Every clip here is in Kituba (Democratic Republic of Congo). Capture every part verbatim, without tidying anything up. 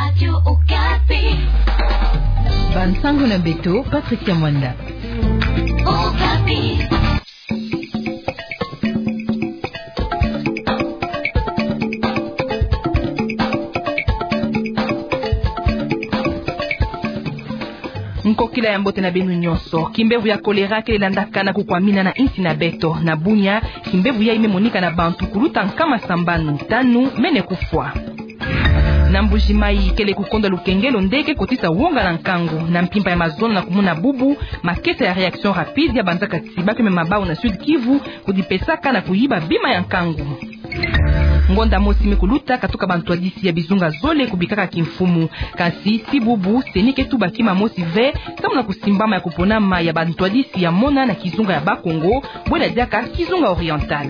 Radio Okapi. Bansango na beto, Patricia Mwanda. Okapi. Nkokila ya mbote na beno nyonso. Kimbevo ya choléra ke landaka na kukwamina na insi na beto. Na Bunia, kimbevo yayi me monika na bantu kuluta nkama sambanu, tanu mene kufwa. Na Mbuji-Mayi, kele kukondwa lukengelo nde ke kotisa wonga na nkangu. Na mpimpa ya mazono na kumona bubu, makesa ya réaction rapide yabanzaka tiba ke mema bau na Sud-Kivu, kudipesaka na kuyiba bima ya nkangu. Ngonda mosi me kuluta katuka bantwadisi ya bizunga zole kubikaka kimfumu. Kasi, ti bubu, CENI ke tuba kima mosi ve, samu na kusimbama ya kuponama ya bantwadisi ya mona na kizunga ya Bakongo, bwela diaka kizunga oriental.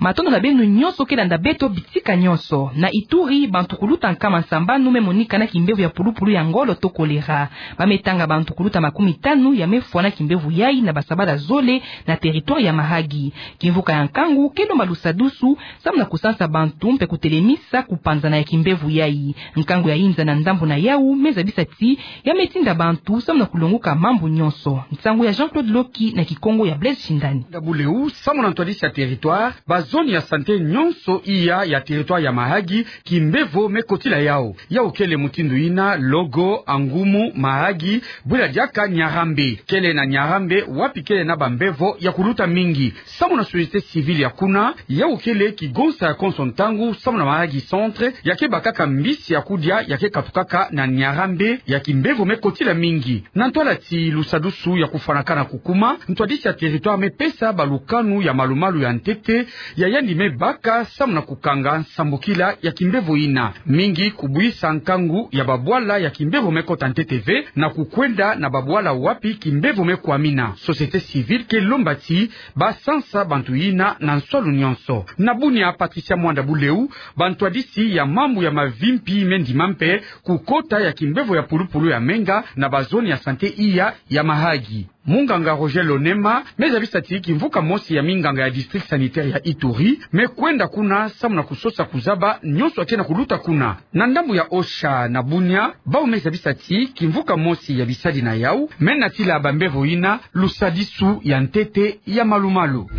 Matondo na beno nyonso ke landa beto bitika nyonso. Na Ituri, bantu kuluta nkama sambanu me monika na kimbevo ya pulupulu ya ngolo to choléra. Ba me tanga bantu kuluta makumi tanu ya me fwa na kimbevo yayi na basabala zole na territoire ya Mahagi. Kimvuka ya nkangu ke lomba lusadusu, samu na kusansa bantu mpe kutelemisa kupanzana ya kimbevo yayi. Nkangu ya inza na ndambu na yawu me zabisa ti ya me tinda bantu samu na kulonguka mambu nyonso. Nsangu ya Jean-Claude Loki na Kikongo ya Blaise Shindani. Ndambu leu, samu na ntwadisi ya territoire, ba zone ya santé nyonso iya ya territoire ya Mahagi, kimbevo me kotila yawu. Yawu kele mutindu yina: Logo, Angumu, Mahagi, bwela diaka Nyarambe. Kele na Nyarambe wapi kele na bambevo ya kuluta mingi. Samu na société civile ya kuna, yawu kele kigonsa ya konso ntangu samu na Mahagi centre ya ke bakaka mbisi ya kudia ya ke katukaka na Nyarambe ya kimbevo me kotila mingi. Na ntwala ti lusadusu ya kufwanaka na kukuma, ntwadisi ya territoire me pesa balukanu ya malumalu ya ntete ya yandi me baka samu na kukanga nsambukila ya kimbevo yina. Mingi kubwisa nkangu ya babwala ya kimbevo me kota ntete ve na kukwenda na babwala wapi kimbevo me kwamina. Société civile ke lomba ti ba sansa bantu yina na nswalu nyonso. Na Bunia, Patricia Mwanda Buleu, bantwadisi ya mambu ya mavimpi me ndima mpe kukota ya kimbevo ya pulupulu ya menga na ba zone ya santé iya ya Mahagi. Munganga Roger Lonema me zabisa ti kimvuka mosi ya minganga ya district sanitaire ya Ituri me kwenda kuna samu na kusosa kuzaba nyonso ya ke na kuluta kuna. Na ndambu ya OSHA na Bunia, bawu me zabisa ti kimvuka mosi ya bisadi na yawu me natila bambevo yina lusadusu ya ntete ya malumalu.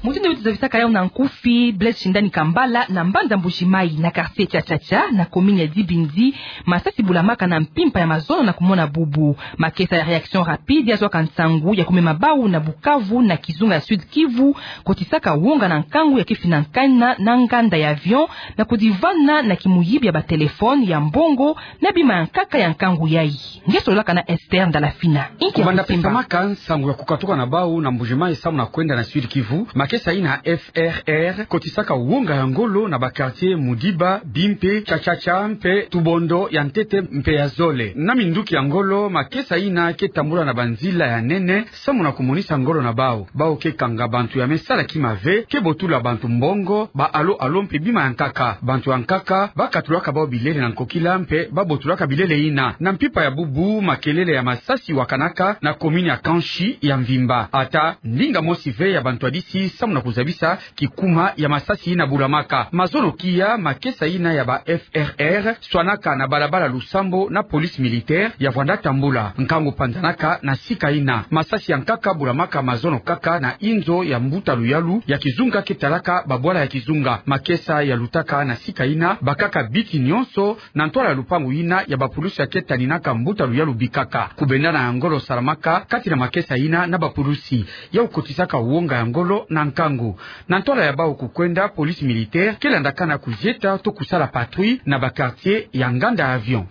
Mutindu beto zabisaka yawu na nkufi, Blaise Shindani Kambala, na mbanza Mbuji-Mayi, na quartier Tchatchatcha, na commune ya Dibindi, masasi bulamaka na mpimpa ya mazono na kumona bubu. Makesa ya réaction rapide yazwaka nsangu ya kumema bawu na Bukavu, na kizunga ya Sud-Kivu, kotisaka wonga na nkangu ya ke finankana na nganda ya avion, na kudivana na kimuyibi ya batelefone, ya mbongo, na bima ya nkaka ya nkangu yayi. Nge sololaka na Esther Ndalafina. Inki ya kusimba? Kubanda pesamaka nsangu ya kukatuka na bawu na Mbuji-Mayi samu na kwenda na Sud-Kivu, makesa yina F R R kotisaka wonga ya ngolo na ba quartier Mudiba, Bimpe, Tchatchatcha mpe Tubondo ya ntete mpe ya zole. Na minduki ya ngolo, makesa yina ke tambula na banzila ya nene samu na kumonisa ngolo na bawu. Bawu ke kanga bantu ya me sala kima ve, ke botula bantu mbongo, ba allo-allo mpe bima ya nkaka. Bantu ya nkaka ba katulaka bawu bilele na nkokila mpe ba botulaka bilele yina. Na mpimpa ya bubu, makelele ya masasi wakanaka na commune ya Kanchi ya mvimba. Ata ndinga mosi ve ya bantwadisi samu na kuzabisa kikuma ya masasi yina bulamaka. Mazono kiya, makesa yina ya ba F R R swanaka na balabala Lusambo na police militaire ya vwanda tambula. Nkangu panzanaka na sika yina. Masasi ya nkaka bulamaka mazono kaka na inzo ya mbuta luyalu ya kizunga ke talaka babwala ya kizunga. Makesa yalutaka na sika yina bakaka biki nyonso na ntwala ya lupangu yina ya bapulusi ya ke taninaka mbuta luyalu bikaka. Kubendana ya ngolo salamaka kati na makesa yina na bapulusi. Yawu kotisaka wonga ya ngolo na nkangu. Na ntwala ya bawu kukwenda, police militaire ke landakana kuzieta to kusala patrouille na ba quartier ya nganda avion.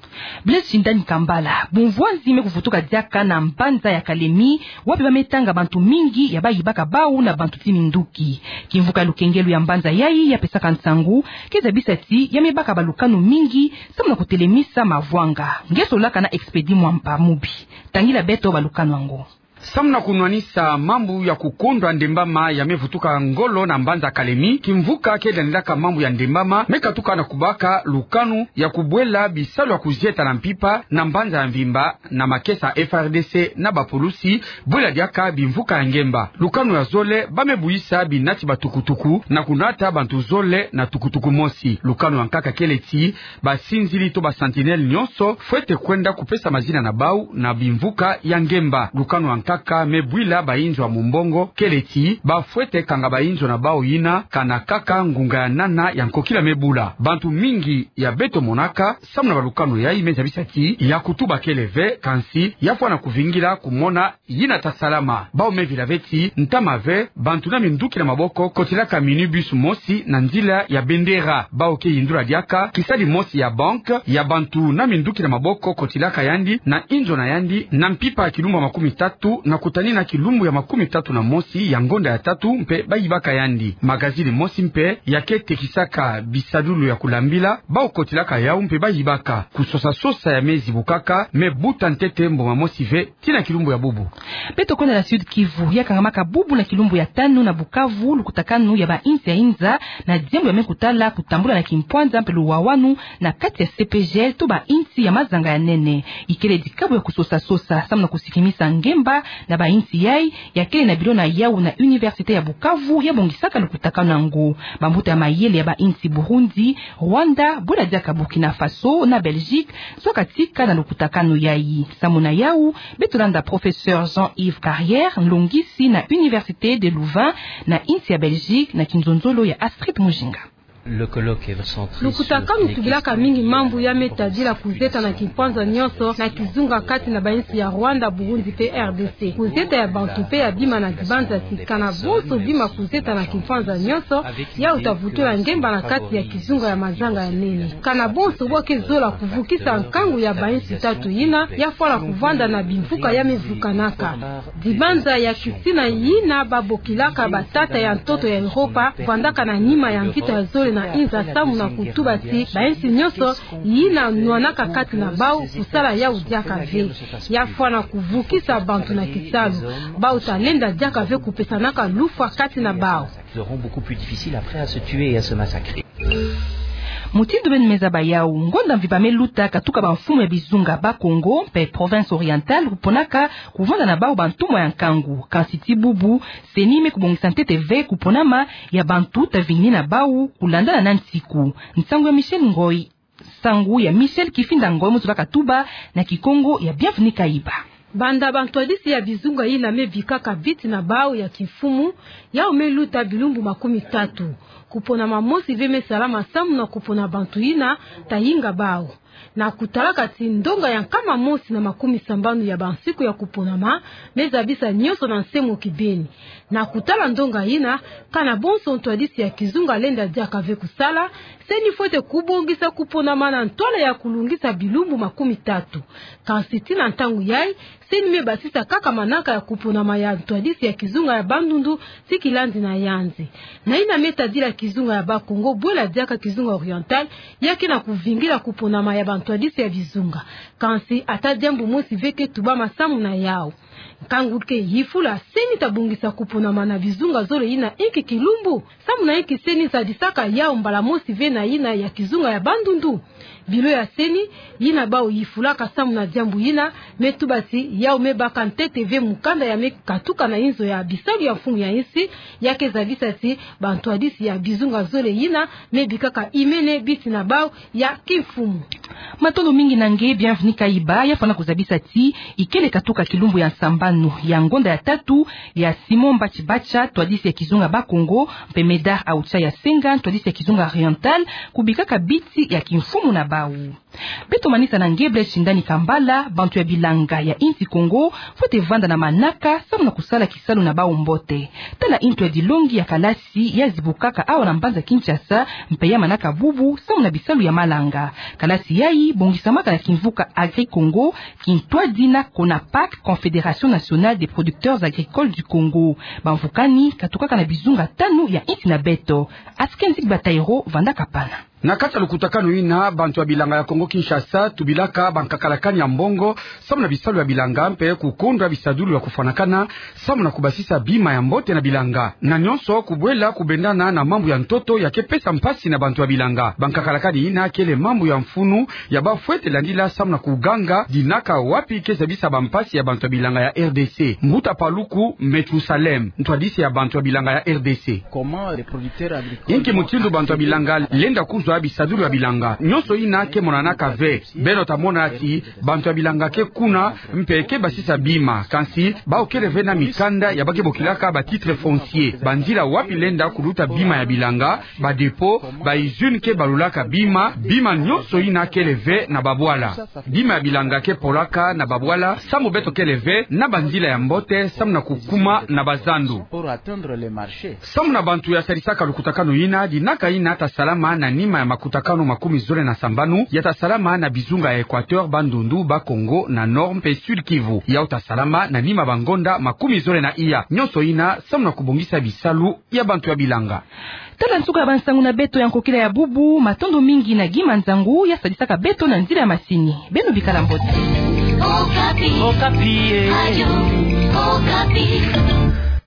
Blaise Shindani Kambala. Bumvwanzi me kuvutuka diaka na mbanza ya Kalemi, wapi ba me tanga bantu mingi ya bayibaka bawu na bantu ti minduki. Kimvuka ya lukengelo ya mbanza yayi ya pesaka nsangu ke zabisa ti ya me baka balukanu mingi samu na kutelemisa mavwanga. Nge sololaka na Expédit Mwamba Mubi. Tangila beto balukanu yango. Samu na kunwanisa mambu ya kukondwa ndembama ya me vutuka ngolo na mbanza Kalemi, kimvuka ke dandilaka mambu ya ndembama me katuka na kubaka lukanu ya kubwela bisalu ya kuzieta na mpimpa na mbanza ya mvimba na makesa F R D C na bapulusi, bwela diaka bimvuka ya ngemba. Lukanu ya zole, ba me buyisa binati batukutuku na kunata bantu zole na tukutuku mosi. Lukanu ya nkaka kele ti basinzili to ba sentinelle nyonso fwete kwenda kupesa mazina na bau na bimvuka ya ngemba. Lukanu ya nkaka me bwila bainzo ya mumbongo kele ti ba fwete kanga bainzo na bau yina kana kaka ngunga ya nana ya nkokila me bula. Bantu mingi ya beto monaka samu na balukanu yayi me zabisa ti ya kutuba kele ve, kansi ya fwana kuvingila kumona yina ta salama. Bau me vila ve ti ntama ve, bantu na minduki na maboko kotilaka minibus mosi na nzila ya Bendera. Bau ke yindula diaka kisadi mosi ya banque ya bantu na minduki na maboko kotilaka yandi na inzo na yandi na mpimpa ya kilumbu ya makumi tatu na kutanina kilumbu ya makumi tatu na mosi ya ngonda ya tatu mpe ba yibaka yandi. Magazini mosi mpe ya ke tekisaka bisadulu ya kulambila, bau kotilaka yau mpe ba yibaka. Kusosa-sosa ya me zibukaka me buta ntete mbonga mosi ve tii na kilumbu ya bubu. Beto kwenda na Sud-Kivu, ya kangamaka bubu na kilumbu ya tanu na Bukavu lukutakanu ya bainsi ya inza na diambu ya me kutala kutambula na kimpwanza mpe luwawanu na kati ya C P G L to bainsi ya mazanga ya nene. Ikele dikabu ya kusosa-sosa samu na kusikimisa ngemba na bainsi yayi, ya kele na bilo na yau na Université ya Bukavu ya bongisaka lukutakanu yango. Bambuta ya mayele ya bainsi Burundi, Rwanda, bwela diaka Burkina Faso na Belgique, zwa katika na lukutakanu yayi. Samu na yau, beto landa professeur Jean-Yves Carrière, nlongisi na Université de Louvain na insi ya Belgique, na kinzonzolo ya Astrid Mujinga. Lukutakanu tubilaka mingi mambu ya me tadila kuzieta na kimpwanza nyonso na kizunga kati na bainsi ya Rwanda, Burundi mpe R D C. Kuzieta ya bantu mpe ya bima na dibanza ti kana bonso bima kuzieta na kimpwanza nyonso, yau ta vutula ngemba na kati ya kizunga ya mazanga ya nene. Kana bonso bo ke zola kuvukisa nkangu ya bainsi tatu yina, ya fwana kuvanda na bimvuka ya me vukanaka. Dibanza ya kisina yina ba bokilaka batata ya ntoto ya Europa vandaka na nima ya mvita ya zole na inza samu na kutuba ti bainsi nyonso yina nwanaka kati na bau kusala yau diaka ve. Ya fwana kuvukisa bantu na kisalu. Bau ta lenda diaka ve kupesanaka lufwa kati na bau. Seront beaucoup plus difficiles après à se tuer et à se massacrer. Mutindu beno me zaba yau, ngonda mvimba me luta katuka bamfumu ya bizunga ba Congo mpe province orientale kuponaka kuvanda na bau bantumwa ya nkangu. Kansi tii bubu, CENI me kubongisa ntete ve kuponama ya bantu ta vingini na bau kulandana na nsiku. Nsangu ya Michel Ngoy. Nsangu ya Michel Kifinda Ngoy, muntu ba katuba na Kikongo ya Bienvenu Kayiba. Banda bantwadisi ya bizunga yina me bikaka biti na bau ya kimfumu, yau me luta bilumbu makumi tatu. Kuponama mosi ve me salama samu na kupona bantu yina ta yinga bau. Na kutalaka ti ndonga ya nkama mosi na makumi sambanu ya bansiku ya kuponama me zabisa nyonso na nse mo kibeni. Na kutala ndonga yina, kana bonso ntwadisi ya kizunga lenda diaka ve kusala, CENI fwete kubongisa kuponama na ntwala ya kulungisa bilumbu makumi tatu. Kansi tii na ntangu yayi, CENI me basisa kaka manaka ya kuponama ya ntwadisi ya kizunga ya Bandundu tii kilandi na yanzi. Na yina me tadila kizunga ya Bakongo, bwela diaka kizunga oriental, ya ke na kuvingila kuponama ya bantwadisi ya bizunga. Kansi ata diambu mosi ve ke tubama samu na yau. Nkangu ke yifula, CENI ta bongisa kuponama na bizunga zole yina inki kilumbu? Samu na inki CENI sadisaka yau mbala mosi ve na yina ya kizunga ya Bandundu? Bilo ya CENI, yina bau yifulaka samu na diambu yina, me tuba ti yau me baka ntete ve mukanda ya me katuka na inzo ya bisalu ya mfumu ya insi, ya ke zabisa ti bantwadisi ya bizunga zole yina me bikaka imene biti na bau ya kimfumu. Matondo mingi na nge Bienvenu Kayiba, ya fwana kuzabisa ti ikele katuka kilumbu ya nsambanu ya ngonda ya tatu ya Simon Mbatshi Batsha, ntwadisi ya kizunga Bakongo, mpe Medard Aoucha ya Senga, ntwadisi ya kizunga oriental, kubikaka biti ya kimfumu na bau. Beto manisa na nge Blaise Shindani Kambala, bantu ya bilanga ya insi Kongo fwete vanda na manaka samu na kusala kisalu na bau mbote. Tala intu ya dilongi ya kalasi ya zibukaka awa na mbanza Kinshasa, mpe ya manaka bubu samu na bisalu ya malanga. Kalasi yayi bongisamaka na kimvuka Agri-Congo, kintwadi na CONAPAC, Confédération Nationale des Producteurs Agricoles du Congo. Bamvukani katukaka na bizunga tanu ya insi na beto. Askenzik Batairo vandaka pana. Na kati ya lukutakanu ina, bantu ya bilanga ya Kongo Kinshasa tubilaka bankakalakani ya mbongo samu na bisalu ya bilanga mpe kukondwa bisadulu ya kufwanakana samu na kubasisa bima ya mbote na bilanga. Na nyonso kubwela kubendana na mambu ya ntoto ya ke pesa mpasi na bantu ya bilanga. Bankakalakani ina kele mambu ya mfunu ya bafwete landila samu na kuganga dinaka wapi ke zabisa bampasi ya bantu ya bilanga ya R D C. Mbuta Paluku Methusalem, ntwadisi ya bantu ya bilanga ya R D C. Inki mutindu bantu ya bilanga lenda kuzwa bisadulu ya bilanga? Nyonso ina ke monanaka ve. Beno ta mona ti bantu ya bilanga ke kuna mpe ke basisa bima, kansi bawu kele ve na mikanda ya ba ke bokilaka ba titres fonciers, banzila wapi lenda kuluta bima ya bilanga, ba dépôts, ba usines ke balulaka bima, bima nyonso ina kele ve na babwala. Bima ya bilanga ke polaka na babwala samu beto kele ve na banzila ya mbote samu na kukuma na bazandu. Samu na bantu ya sadisaka lukutakanu ina, dinaka ina ta salama na nima ya makutakanu makumi zole na sambanu ya ta salama na bizunga ya Equateur, Bandundu, Bas-Congo, na Nord mpe Sud-Kivu. Yawu ta salama na nima bangonda makumi zole na iya. Nyonso ina samu na kubongisa bisalu ya bantu ya bilanga. Tala nsuka ya bansangu na beto ya nkokila ya bubu. Matondo mingi na Guy Manzangu ya sadisaka beto na nzila ya masini. Beno bikala mbote. Okapi. Okapi, eh. Radio Okapi.